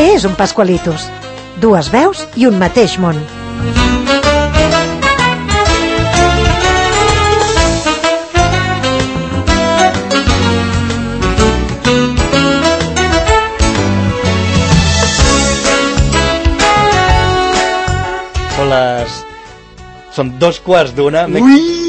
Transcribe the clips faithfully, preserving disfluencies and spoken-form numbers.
Què és un Pascualitos? Dues veus i un mateix món. Són les... Són dos quarts d'una. Ui!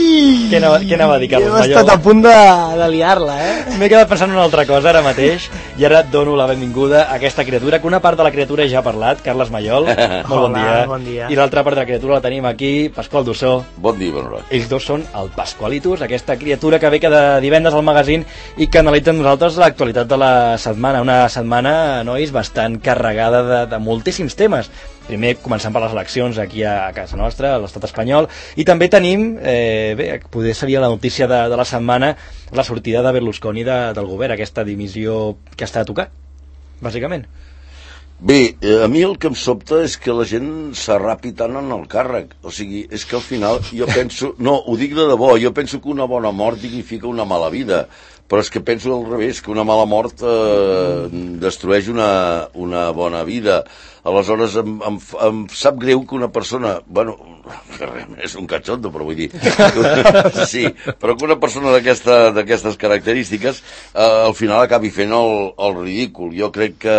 Què anava, què anava a dir, Carles Mayola? He estat a punt de, de liar-la, eh? M'he quedat pensant en una altra cosa ara mateix i ara et dono la benvinguda a aquesta criatura, que una part de la criatura ja ha parlat, Carles Mayol. Molt bon Hola, dia. bon dia. I l'altra part de la criatura la tenim aquí, Pasqual Dussó. Bon dia, bon hora. Ells dos són el Pascualitos, aquesta criatura que ve cada divendres al magazín i que analitza amb nosaltres l'actualitat de la setmana. Una setmana, nois, bastant carregada de, de moltíssims temes. Primer, començant per les eleccions aquí a casa nostra, a l'estat espanyol, i també tenim, eh, bé, poder seria la notícia de, de la setmana, la sortida de Berlusconi de, del govern, aquesta dimissió que està a tocar, bàsicament. Bé, a mi el que em sobta és que la gent s'arrapi tant en el càrrec. O sigui, és que al final jo penso... No, ho dic de debò, jo penso que una bona mort dignifica una mala vida, però és que penso al revés, que una mala mort eh, destrueix una, una bona vida. Aleshores em, em, em sap greu que una persona, bueno, és un catxondo, però vull dir, sí, però que una persona d'aquesta, d'aquestes característiques eh, al final acabi fent el, el ridícul. Jo crec que,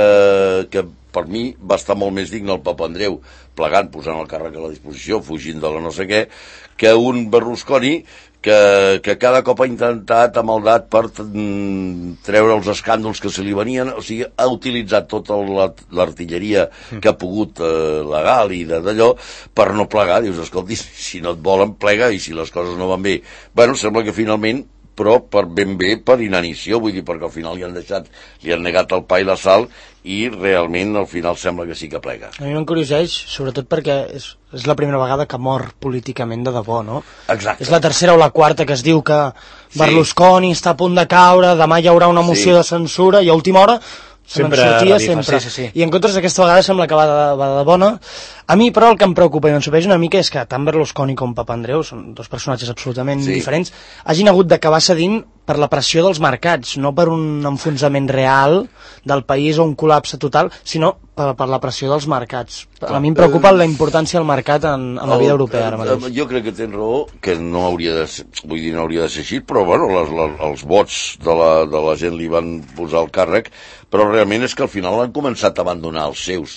que per mi va estar molt més digne el Papandreou plegant, posant el càrrec a la disposició, fugint de la no sé què, que un Berlusconi que, que cada cop ha intentat amb maldat per treure els escàndols que se li venien, o sigui, ha utilitzat tota l'artilleria que ha pogut eh, legal i d'allò per no plegar. Dius, escolti, si no et volen, plega, i si les coses no van bé. Bueno, sembla que finalment, però per ben bé per inanició, vull dir, perquè al final li han deixat, li han negat el pa i la sal, i realment al final sembla que sí que plega. A mi m'encurioseix, sobretot perquè és, és la primera vegada que mor políticament de debò, no? Exacte. És la tercera o la quarta que es diu que Berlusconi sí. està a punt de caure, demà hi haurà una moció sí. de censura, i a última hora se me'n sortia sempre. Sí, sí, sí. I en contra aquesta vegada sembla que va de, va de bona. A mi, però, el que em preocupa i m'ensupeix una mica és que tant Berlusconi com Papandreou, són dos personatges absolutament sí. diferents, hagin hagut d'acabar cedint per la pressió dels mercats, no per un enfonsament real del país o un col·lapse total, sinó per, per la pressió dels mercats. A mi em preocupa la importància del mercat en, en la vida europea ara mateix. Jo crec que tens raó, que no hauria de ser, vull dir, no hauria de ser així, però bueno, les, les, els vots de la, de la gent li van posar el càrrec, però realment és que al final han començat a abandonar els seus,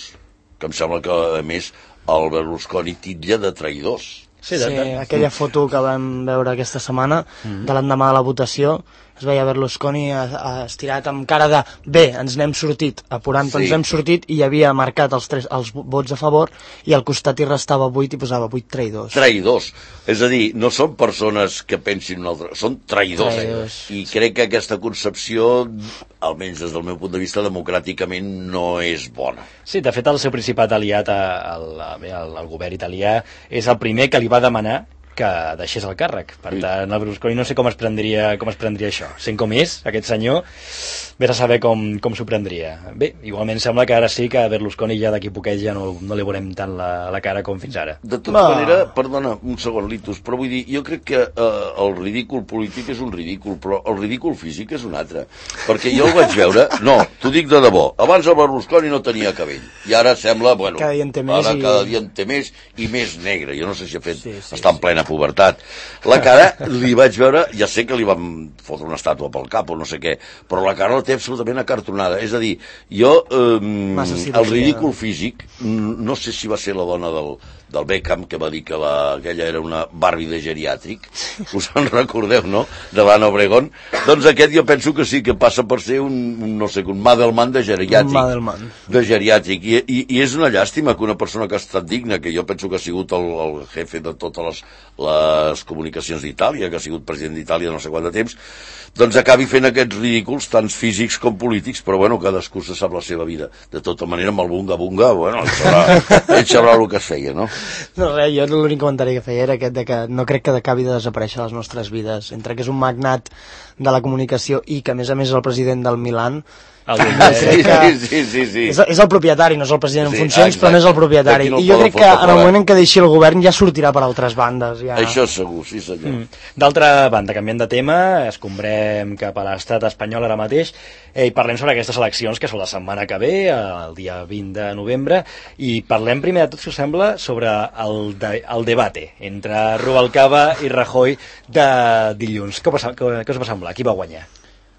que em sembla que, a més, el Berlusconi titlla de traïdors. Sí, de, de, sí, aquella foto que vam veure aquesta setmana, mm-hmm. de l'endemà de la votació, es veia Berlusconi estirat amb cara de bé, ens n'hem sortit, apurant, sí. ens hem sortit, i hi havia marcat els, tres, els vots a favor, i al costat hi restava vuit i posava vuit traïdors. Traïdors, és a dir, no són persones que pensin un altre, són traïdors, traïdors. Eh? I crec que aquesta concepció, almenys des del meu punt de vista, democràticament no és bona. Sí, de fet el seu principat aliat al, al, al govern italià és el primer que li va demanar que deixés el càrrec. Per tant, el Berlusconi no sé com es prendria, com es prendria això. Sent com és, aquest senyor, vés a saber com, com s'ho prendria. Bé, igualment sembla que ara sí que Berlusconi ja d'aquí poquet ja no, no li veurem tant la, la cara com fins ara. De tota no. manera, perdona, un segon, Litus, però vull dir, jo crec que eh, el ridícul polític és un ridícul, però el ridícul físic és un altre. Perquè jo el vaig veure, no, t'ho dic de debò, abans el Berlusconi no tenia cabell, i ara sembla, bueno, cada dia en té més, ara i... cada dia en té més i més negre, jo no sé si ha fet, sí, sí, està en sí. plena pubertat. La cara li vaig veure, ja sé que li van fotre una estàtua pel cap o no sé què, però la cara la té absolutament acartonada. És a dir, jo eh, el ridícul físic, no sé si va ser la dona del, del Beckham que va dir que la, aquella era una Barbie de geriàtric, us en recordeu, no?, de l'Anna Obregón. Doncs aquest jo penso que sí, que passa per ser un, un no sé, un Madelman de geriàtric. Un Madelman. De geriàtric. I, i, I és una llàstima que una persona que ha estat digna, que jo penso que ha sigut el, el jefe de totes les, les comunicacions d'Itàlia, que ha sigut president d'Itàlia no sé quant de temps, doncs acabi fent aquests ridículs, tant físics com polítics, però bueno, cadascú se sap la seva vida. De tota manera, amb el bunga-bunga, bueno, ell sabrà, ell sabrà el que es feia, no? No res, jo l'únic comentari que feia era aquest de que no crec que acabi de desaparèixer les nostres vides. Entre que és un magnat de la comunicació i que a més a més és el president del Milan, el sí, sí, sí, sí, sí. És, és el propietari, no és el president en Sí, funcions, exacte. però no és el propietari. D'aquí no I jo poden crec que fotre en el fora. moment en què deixi el govern ja sortirà per altres bandes. Ja. Això segur, sí senyor. Mm. D'altra banda, canviant de tema, escombrem cap a l'estat espanyol ara mateix eh, i parlem sobre aquestes eleccions que són la setmana que ve, el dia vint de novembre, i parlem primer de tot, si us sembla, sobre el, de, el debate entre Rubalcaba i Rajoy de dilluns. Què, passa, què, què us va semblar? Qui va guanyar?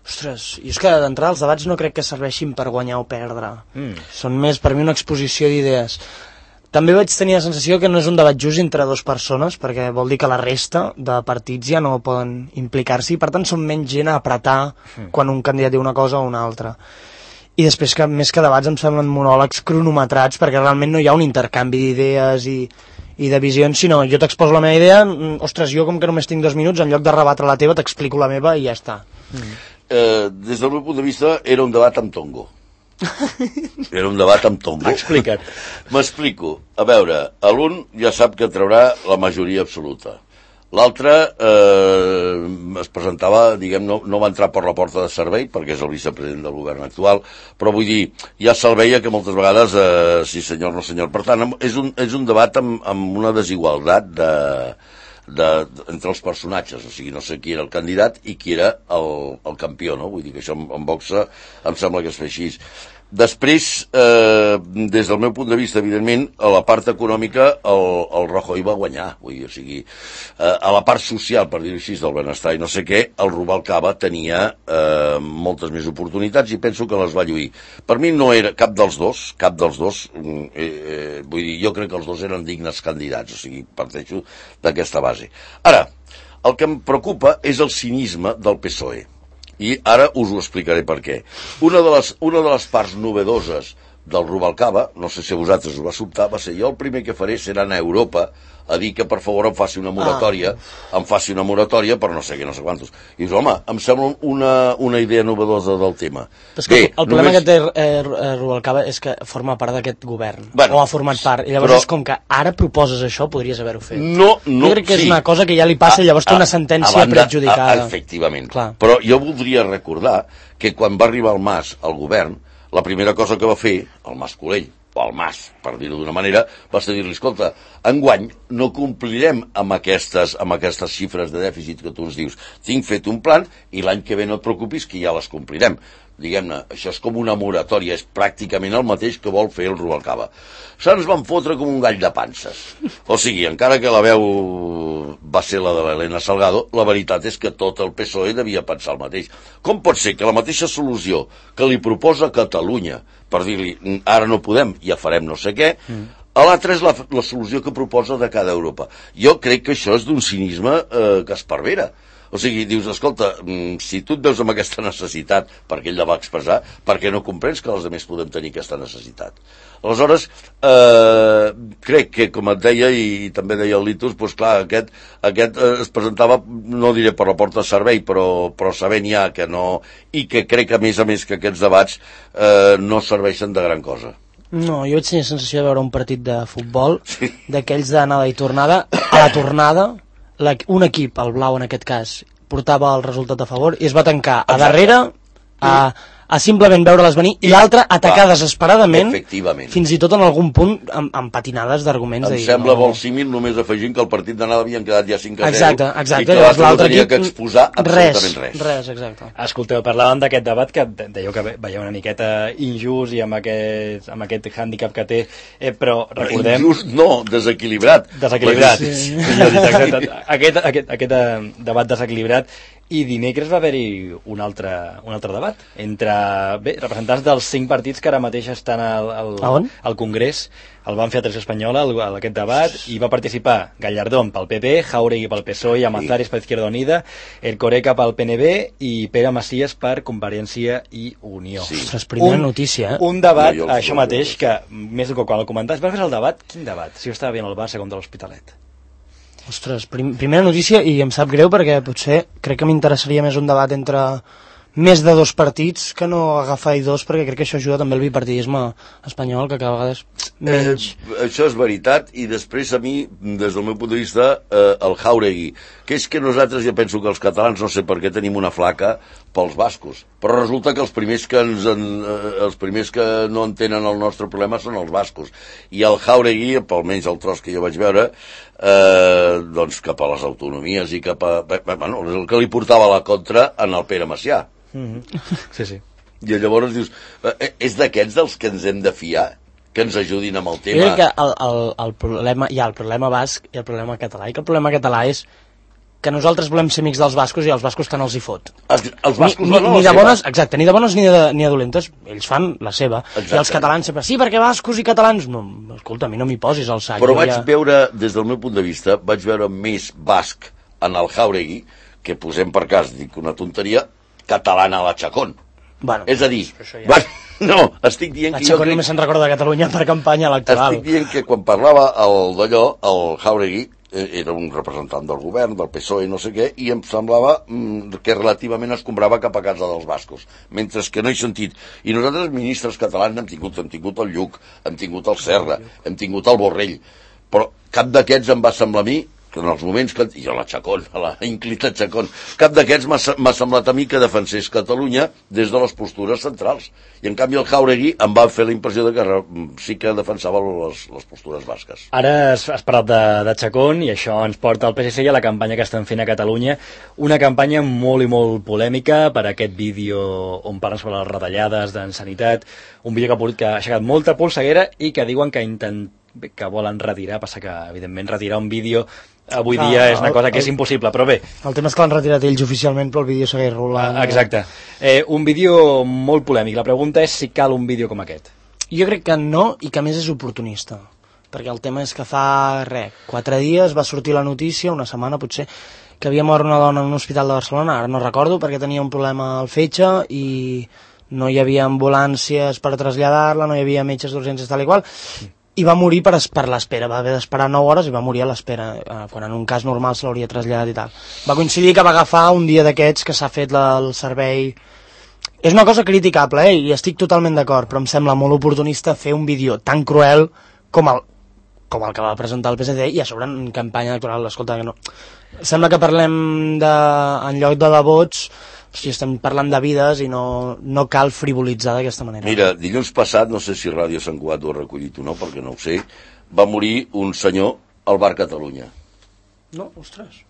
Ostres, i és que d'entrada els debats no crec que serveixin per guanyar o perdre. Mm. Són més per mi una exposició d'idees. També vaig tenir la sensació que no és un debat just entre dues persones, perquè vol dir que la resta de partits ja no poden implicar-s'hi, i per tant són menys gent a apretar mm. quan un candidat diu una cosa o una altra. I després, que més que debats, em semblen monòlegs cronometrats, perquè realment no hi ha un intercanvi d'idees i, i de visions, sinó jo t'exposo la meva idea, ostres, jo com que només tinc dos minuts, en lloc de rebatre la teva, t'explico la meva i ja està. Mm. Eh, des del meu punt de vista, era un debat amb tongo. Era un debat amb tongo. Explica't. M'explico. A veure, l'un ja sap que traurà la majoria absoluta. L'altre eh, es presentava, diguem, no, no va entrar per la porta de servei, perquè és el vicepresident del govern actual, però vull dir, ja se'l veia que moltes vegades, eh, sí senyor, no senyor. Per tant, és un, és un debat amb, amb una desigualtat de... De, de, entre els personatges, o sigui, no sé qui era el candidat i qui era el, el campió, no? Vull dir que això en, en boxa em sembla que es fa així. Després, eh, des del meu punt de vista, evidentment, a la part econòmica el, el Rajoy va guanyar, vull dir, o sigui, eh, a la part social, per dir-ho així, del benestar i no sé què, el Rubalcaba tenia eh, moltes més oportunitats i penso que les va lluir. Per mi no era cap dels dos, cap dels dos, eh, eh, vull dir, jo crec que els dos eren dignes candidats, o sigui, parteixo d'aquesta base. Ara, el que em preocupa és el cinisme del P S O E. I ara us ho explicaré per què. Una de les, una de les parts novedoses del Rubalcaba, no sé si a vosaltres us va sobtar, va ser jo el primer que faré serà anar a Europa a dir que per favor em faci una moratòria, ah. em faci una moratòria per no sé què, no sé quantos. I dius, home, em sembla una, una idea novedosa del tema. Però és que Bé, el problema només... que té eh, Rubalcaba és que forma part d'aquest govern, bueno, o ha format part, i llavors però... és com que ara proposes això, podries haver-ho fet. No, no, jo crec que sí. és una cosa que ja li passa, a, i llavors té una sentència banda, prejudicada. A, efectivament. Clar. Però jo voldria recordar que quan va arribar el Mas al govern, la primera cosa que va fer, el Mas Colell, o el Mas, per dir-ho d'una manera, va ser dir-li, escolta, enguany no complirem amb aquestes, amb aquestes xifres de dèficit que tu ens dius. Tinc fet un plan i l'any que ve no et preocupis que ja les complirem. Diguem-ne, això és com una moratòria, és pràcticament el mateix que vol fer el Rubalcaba. Se'ns van fotre com un gall de panses. O sigui, encara que la veu va ser la de l'Helena Salgado, la veritat és que tot el P S O E devia pensar el mateix. Com pot ser que la mateixa solució que li proposa Catalunya, per dir-li, ara no podem, ja farem no sé què, mm. a l'altra és la, la solució que proposa de cada Europa. Jo crec que això és d'un cinisme eh, que es pervera. O sigui, dius, escolta, si tu et veus amb aquesta necessitat, perquè ell la va expressar, per què no comprens que els altres podem tenir aquesta necessitat? Aleshores, eh, crec que, com et deia, i també deia el Litus, doncs clar, aquest, aquest eh, es presentava, no diré per la porta de servei, però, però sabent ja que no... I que crec, a més a més, que aquests debats eh, no serveixen de gran cosa. No, jo vaig tenir la sensació de veure un partit de futbol, sí. d'aquells d'anada i tornada, a la tornada... La, un equip, el blau en aquest cas, portava el resultat a favor i es va tancar a darrere a, a simplement veure-les venir i l'altre atacar va, desesperadament fins i tot en algun punt amb, amb patinades d'arguments. Em de dir, sembla no, molt símil només afegint que el partit d'anada havien quedat ja cinc a zero exacte, exacte, i que l'altre no tenia equip, que exposar absolutament res. Res, res exacte. Escolteu, parlàvem d'aquest debat que dèieu que veia una miqueta injust i amb aquest, amb aquest hàndicap que té, eh, però recordem... Injust no, desequilibrat. Desequilibrat. Sí. Aquest, aquest, aquest debat desequilibrat. I dimecres va haver-hi un altre, un altre debat entre bé, representants dels cinc partits que ara mateix estan al, al, al Congrés. El van fer a Televisió Espanyola, el, el, aquest debat, i va participar Gallardón pel P P, Jauregui pel P S O E, Amazares per Izquierda Unida, Erkoreka pel P N B i Pere Macias per Convergència i Unió. Sí. Ostres, primera un, notícia, eh? Un debat, no, això mateix, que més que quan el comentaves, vas veure el debat? Quin debat? Si jo estava veient el Barça contra l'Hospitalet. Ostres, prim, primera notícia, i em sap greu perquè potser crec que m'interessaria més un debat entre més de dos partits que no agafar dos, perquè crec que això ajuda també al bipartidisme espanyol, que cada vegada és menys. Eh, això és veritat, i després a mi, des del meu punt de vista, eh, el Jáuregui, que és que nosaltres, jo penso que els catalans no sé per què tenim una flaca pels bascos, però resulta que els primers que, ens en, eh, els primers que no entenen el nostre problema són els bascos, i el Jáuregui, almenys el tros que jo vaig veure, eh, doncs cap a les autonomies i cap a... Bueno, el que li portava la contra en el Pere Macià. Mm-hmm. Sí, sí. I llavors dius, eh, és d'aquests dels que ens hem de fiar, que ens ajudin amb el tema. Jo crec que el, el, el problema, hi ha el problema basc i el problema català, i que el problema català és que nosaltres volem ser amics dels bascos i els bascos tant els hi fot. Els, els bascos ni, no, ni, ni de bones, exacte, ni de bones ni de, ni de dolentes, ells fan la seva. Exacte. I els catalans sempre, sí, perquè bascos i catalans, no, escolta, a mi no m'hi posis al sac. Però vaig ja... veure, des del meu punt de vista, vaig veure més basc en el Jáuregui, que posem per cas, dic una tonteria, catalana a la Chacón. Bueno, és a dir, ja... va, no, estic dient la que jo crec... només se'n recorda de Catalunya per campanya electoral. Estic dient que quan parlava el d'allò, el Jáuregui, era un representant del govern, del P S O E, no sé què, i em semblava mm, que relativament es comprava cap a casa dels bascos, mentre que no he sentit. I nosaltres, ministres catalans, hem tingut, hem tingut el Lluc, hem tingut el Serra, hem tingut el Borrell, però cap d'aquests em va semblar a mi que en els moments que... i a la Chacón, a la inclita Chacón, cap d'aquests m'ha semblat a mi que defensés Catalunya des de les postures centrals. I en canvi el Jáuregui em va fer la impressió de que sí que defensava les, les postures basques. Ara has, has parlat de, de Chacón, i això ens porta al P S C i a la campanya que estan fent a Catalunya, una campanya molt i molt polèmica per aquest vídeo on parlen sobre les retallades en sanitat, un vídeo que ha, que ha aixecat molta polseguera i que diuen que intent que volen retirar, passa que evidentment retirar un vídeo avui ah, dia és una cosa que és impossible, però bé. El tema és que l'han retirat ells oficialment, però el vídeo segueix rolant. Ah, exacte. Eh, un vídeo molt polèmic. La pregunta és si cal un vídeo com aquest. Jo crec que no, i que a més és oportunista. Perquè el tema és que fa, res, quatre dies va sortir la notícia, una setmana potser, que havia mort una dona en un hospital de Barcelona, ara no recordo, perquè tenia un problema al fetge i no hi havia ambulàncies per traslladar-la, no hi havia metges d'urgències tal i qual, i va morir per, per l'espera, va haver d'esperar nou hores i va morir a l'espera, eh, quan en un cas normal se l'hauria traslladat i tal. Va coincidir que va agafar un dia d'aquests que s'ha fet la, el servei... És una cosa criticable, eh, i estic totalment d'acord, però em sembla molt oportunista fer un vídeo tan cruel com el, com el que va presentar el P S C i a sobre en campanya electoral. Escolta, que no... Sembla que parlem de, en lloc de devots, si estem parlant de vides i no, no cal frivolitzar d'aquesta manera. Mira, dilluns passat, no sé si Ràdio Sant Cugat ho ha recollit o no, perquè no ho sé, va morir un senyor al Bar Catalunya. No, ostres.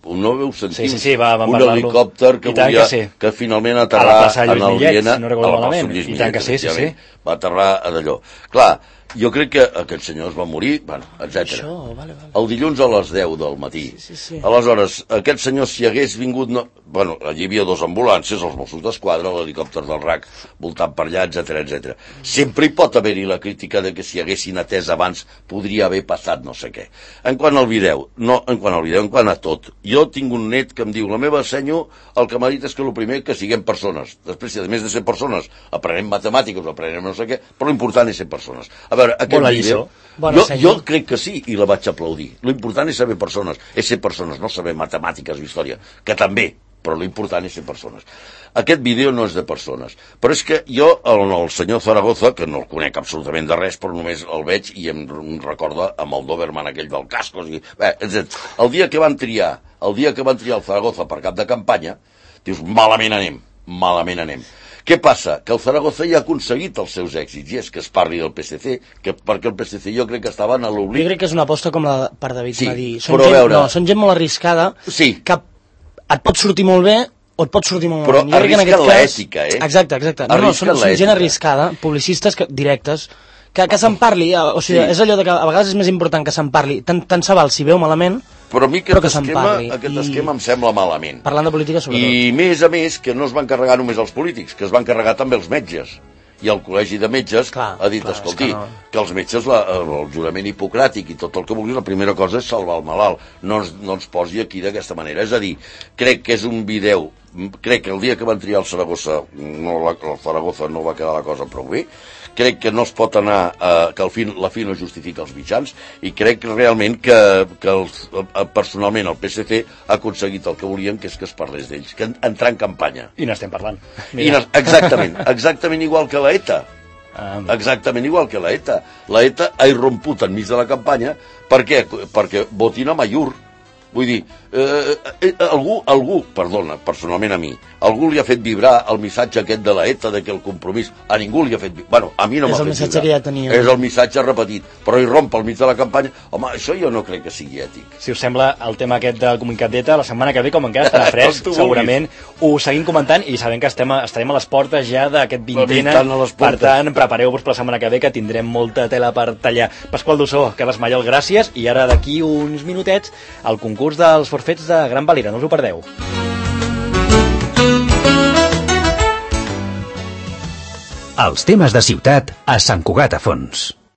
No veu sentir sí, sí, sí, va, un helicòpter que, volia, que, sí. que finalment aterrar en el Viena, si no recordo malament, i tant que sí, sí, sí. Va aterrar a d'allò. Clar, jo crec que aquest senyor es va morir, bueno, etcètera. Això, vale, vale. El dilluns a les deu del matí. Sí, sí, sí. Aleshores, aquest senyor, si hagués vingut... No... Bueno, allí hi havia dos ambulàncies, els Mossos d'Esquadra, l'helicòpter del R A C voltant per allà, etcètera, etcètera. Sempre hi pot haver-hi la crítica de que si haguessin atès abans podria haver passat no sé què. En quant al vídeo, no en quant al vídeo, en quant a tot. Jo tinc un net que em diu, la meva senyo, el que m'ha dit és que el primer que siguem persones. Després, si a més de ser persones, aprenem matemàtiques o aprenem no sé què, però l'important és ser persones. A veure, aquest Bona vídeo... Bona jo, jo crec que sí, i la vaig aplaudir. L'important és saber persones, és ser persones, no saber matemàtiques o història, que també, però l'important és ser persones. Aquest vídeo no és de persones, però és que jo, el, el senyor Zaragoza, que no el conec absolutament de res, però només el veig i em, em recorda amb el Doberman aquell del Cascos, i, bé, el dia que van triar, el dia que van triar el Zaragoza per cap de campanya, dius, malament anem, malament anem. Què passa? Que el Zaragoza ja ha aconseguit els seus èxits, i és que es parli del P S C, que, perquè el P S C jo crec que estava en l'oblit. Jo crec que és una aposta com la per David sí, Madí. Són però gent, veure... no, són gent molt arriscada, sí. que et pot sortir molt bé o et pot sortir molt però malament. Però arrisquen l'ètica, eh? Exacte, exacte. No, no, són, són gent arriscada, publicistes que, directes, que, que se'n parli, o sigui, sí. És allò de que a vegades és més important que se'n parli, tant, tant se val si veu malament, però a mi aquest, però que esquema, aquest I... esquema em sembla malament. Parlant de política, sobretot. I més a més, que no es van carregar només els polítics, que es van carregar també els metges. I el Col·legi de Metges clar, ha dit, clar, escolti, que, no. que els metges, la, el jurament hipocràtic i tot el que vulguis, la primera cosa és salvar el malalt. No ens, no ens posi aquí d'aquesta manera. És a dir, crec que és un vídeo crec que el dia que van triar el Saragossa, no, la, el Zaragoza no va quedar la cosa prou bé, crec que no es pot anar, eh, que el fi, la fi no justifica els mitjans, i crec realment que, que els, personalment el P S C ha aconseguit el que volien, que és que es parlés d'ells, que entrar en campanya. I n'estem parlant. I exactament, exactament igual que la ETA. Ah, exactament igual que la ETA. La ETA ha irromput enmig de la campanya. Per què? Perquè votin a Mayur. Vull dir, eh, eh, algú, algú, perdona, personalment a mi, algú li ha fet vibrar el missatge aquest de la ETA, de que el compromís, a ningú li ha fet vibrar, bueno, a mi no m'ha fet vibrar. Que ja tenia. És el missatge repetit, però hi romp al mig de la campanya. Home, això jo no crec que sigui ètic. Si us sembla, el tema aquest del comunicat d'ETA, la setmana que ve, com encara estarà fresc, segurament ho seguim comentant, i sabem que estem a, estarem a les portes ja d'aquest vintena, per tant, prepareu-vos per la setmana que ve, que tindrem molta tela per tallar. Pasqual Dussó, Carles Mallol, gràcies, i ara d'aquí uns minutets, el concurs dels forfets de Gran Valira, no us ho perdeu. Els temes de ciutat a Sant Cugat a Fons.